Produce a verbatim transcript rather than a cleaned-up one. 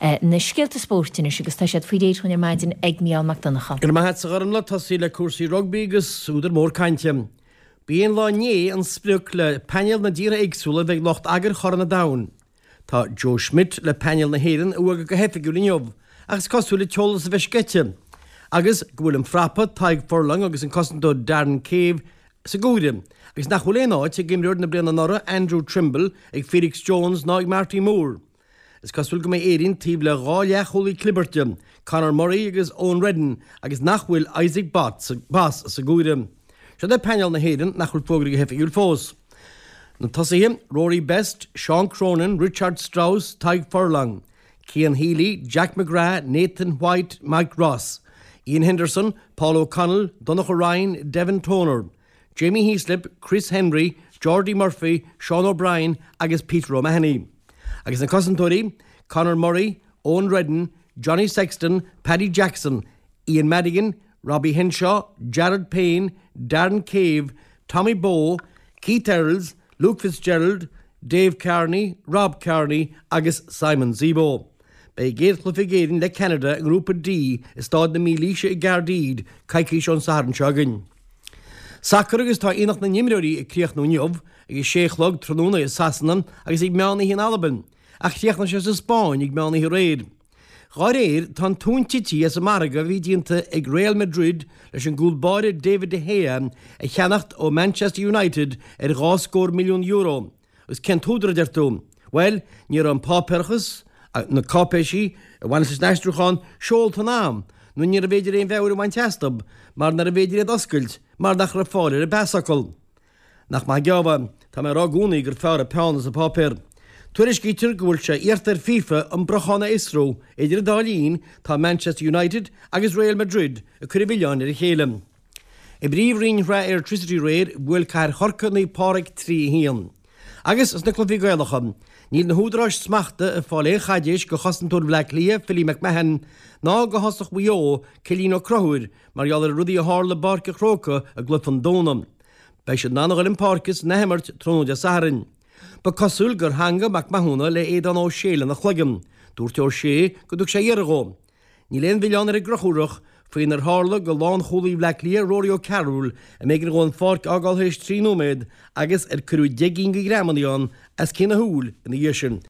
Na scéalta spóirt anois agus tá siad faoi réir ar maidin ag Mícheál Mac Donncha. Go maith a Ghormfhlaith, tosaí le cúrsaí rugbaí agus údar mór cainte. B'é an lá inné an sprioc le painéil na dtíortha éagsúla a bheidh lucht eagair Chorn an Domhain. Tá Joe Schmidt le painéal na hÉireann a fhógairt go hoifigiúil inniu, ach is cosúil le t-eolas a bheith sceite, agus go bhfuil an frapa Tadhg Furlong agus an cosantóir Darren Cave sa gcomhaireamh, agus nach bhfuil aon áit ag imreoir na bliana anuraidh Andrew Trimble, ag Felix Jones ná ag Marty Moore. Is cosúil go mbeidh Éirinn taobh le dhá leathchúlaí clibirte, Conor Murray agus Eoin Reddan, agus nach bhfuil Isaac Boss sa gcomhaireamh. Seo é painéal na hÉireann nach bhfuil fógraithe go hoifigiúil fós. Na tosaithe, Rory Best, Sean Cronin, Richard Strauss, Tadhg Furlong, Cian Healy, Jack McGrath, Nathan White, Mike Ross, Iain Henderson, Paul O'Connell, Donnacha Ryan, Devin Toner, Jamie Heaslip, Chris Henry, Geordie Murphy, Sean O'Brien agus Peter O'Mahony. Agus na cosantóirí, Conor Murray, Eoin Reddan, Johnny Sexton, Paddy Jackson, Ian Madigan, Robbie Henshaw, Jared Payne, Darren Cave, Tommy Bowe, Keith Earls, Luke Fitzgerald, Dave Kearney, Rob Kearney agus Simon Zebo. Beidh an chéad chluiche ag Éirinn le Canada i ngrúpa D i Staid na Mílaoise i gCaerdydd coicís ón Satharn seo chugainn. Sacar agus tá Aonach na nImreoirí ag críochnú inniu ag a sé a chlog tráthnóna i Sasana agus ag meán oíche in Albain, ach chríochnaigh sé sa Spáinn ag meán oíche aréir. Dhá réir, tá an tóin tite as an margadh a bhí déanta ag Real Madrid leis an gcúl báire David de Gea a cheannacht ó Manchester United ar dhá scór milliún euro. Agus cén t-údar, a deir tú? Bhuel, ní raibh an páipéarachas, na cáipéisí a bhain leis an aistriúchán, seolta in am, nó níorbh fhéidir aon mheabhair a bhaint astu mar nárbh fhéidir iad a oscailt mar nach raibh fáil ar an bpasfhocal. Nach maith an geábh é? Tá mé ag rá i gcónaí gur fearr an peann is an páipéar. Tuairiscítear go bhfuil sé iarrta ar FIFA an briochán a fhiosrú. Idir an dá linn, tá Manchester United agus Real Madrid ag cur an mhilleáin ar a chéile. I bPríomhroinn Shraith Airtricity aréir, bhuail Cathair Chorcaí Naomh Pádraig trí a haon. Agus sna cluichí Gaelacha, níl na húdaráis smachta ag fáil aon chaidéis do chosantóir Bhaile Átha Cliath, Philly McMahon, ná do thosach Mhaigh Eo, Cillian Ó Conchúir, mar gheall ar rudaí a tharla i bPáirc an Chrócaigh i gcluiche an Domhnaigh. Beidh siad in ann a dhul chun páirce san athimirt tráthnóna Dé Sathairn. Ba cosúil gur theangaigh Mac Mathúna le Aodán Ó Sé lena chloigeann. Dúirt Ó Sé go dtug sé iarraidh dhó. Níl aon mhilleán ar an gConchúrach faoinar tharla do lánchúlaí Bhaile Átha Cliath, Rory O'Carroll, a mb'éigean dhó an pháirc a fhágáil tar éis trí nóiméad agus ar cuireadh deich gcinn de ghreamanna ann as cionn a shúil ina dhiaidh sin.